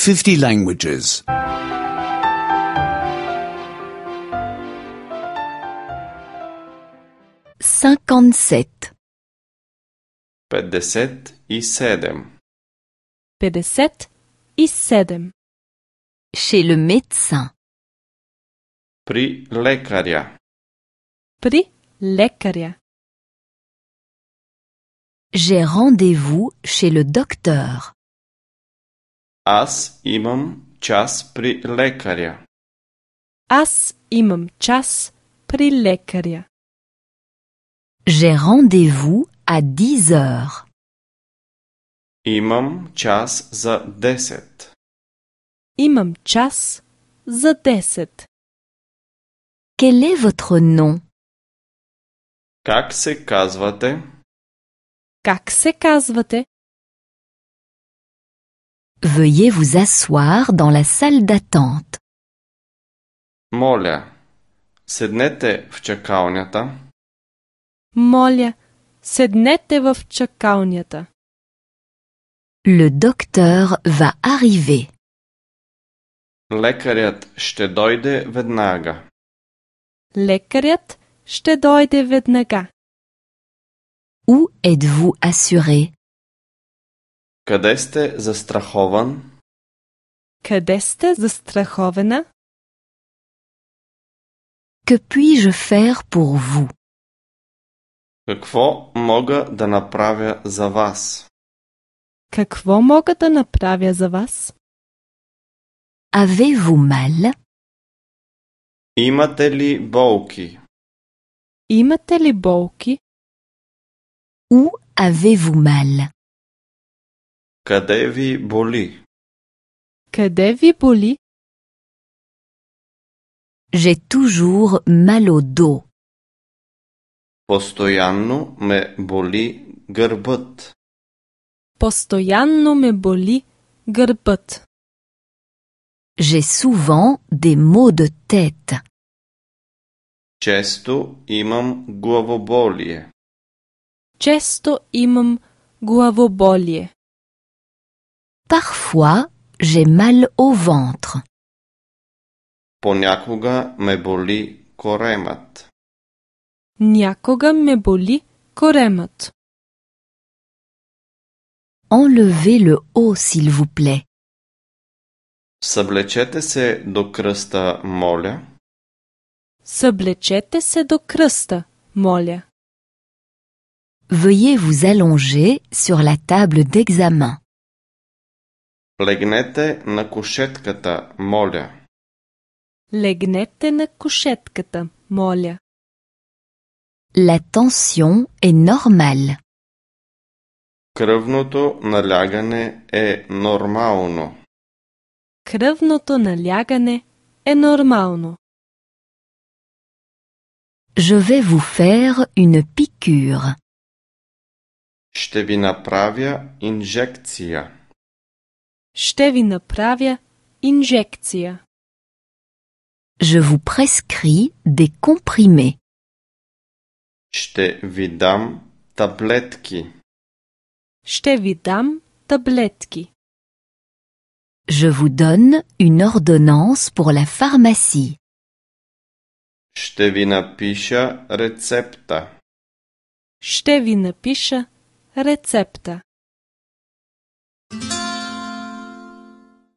50 languages. 57. 57. 57. Chez le médecin. При лекаря. При лекаря. J'ai rendez-vous chez le docteur. Аз имам час при лекаря. Аз имам час при лекаря. J'ai rendez-vous à 10 heures. Имам час за 10. Имам час за 10. Quel est votre nom? Как се казвате? Как се казвате? Veuillez vous asseoir dans la salle d'attente. Моля, седнете в чакалнята. Моля, седнете в чакалнята. Le docteur va arriver. Лекарят ще дойде веднага. Лекарят ще дойде веднага. Où êtes-vous assuré? Къде сте застрахован? Къде сте застрахована? Que puis-je faire pour vous? Какво мога да направя за вас? Какво мога да направя за вас? Avez-vous mal? Имате ли болки? Имате ли болки? Où avez-vous mal? Къде ви боли? Къде ви боли? J'ai toujours mal au dos. Постоянно ме боли гърбът. Постоянно ме боли гърбът. J'ai souvent des maux de tête. Често имам главоболие. Често имам главоболие. Parfois, j'ai mal au ventre. Понякога ме боли коремът. Някога ме боли коремът. Enlevez le haut, s'il vous plaît. Съблечете се до кръста, моля. Съблечете се до кръста, моля. Veuillez vous allonger sur la table d'examen. Легнете на кушетката, моля. Легнете на кушетката, моля. La tension est normale. Кръвното налягане е нормално. Кръвното налягане е нормално. Je vais vous faire une piqûre. Ще ви направя инжекция. Ще ви направя инжекция. Je vous prescris des comprimés. Ще ви дам таблетки. Ще ви дам таблетки. Je vous donne une ordonnance pour la pharmacie. Ще ви напиша рецепта. Ще ви напиша рецепта.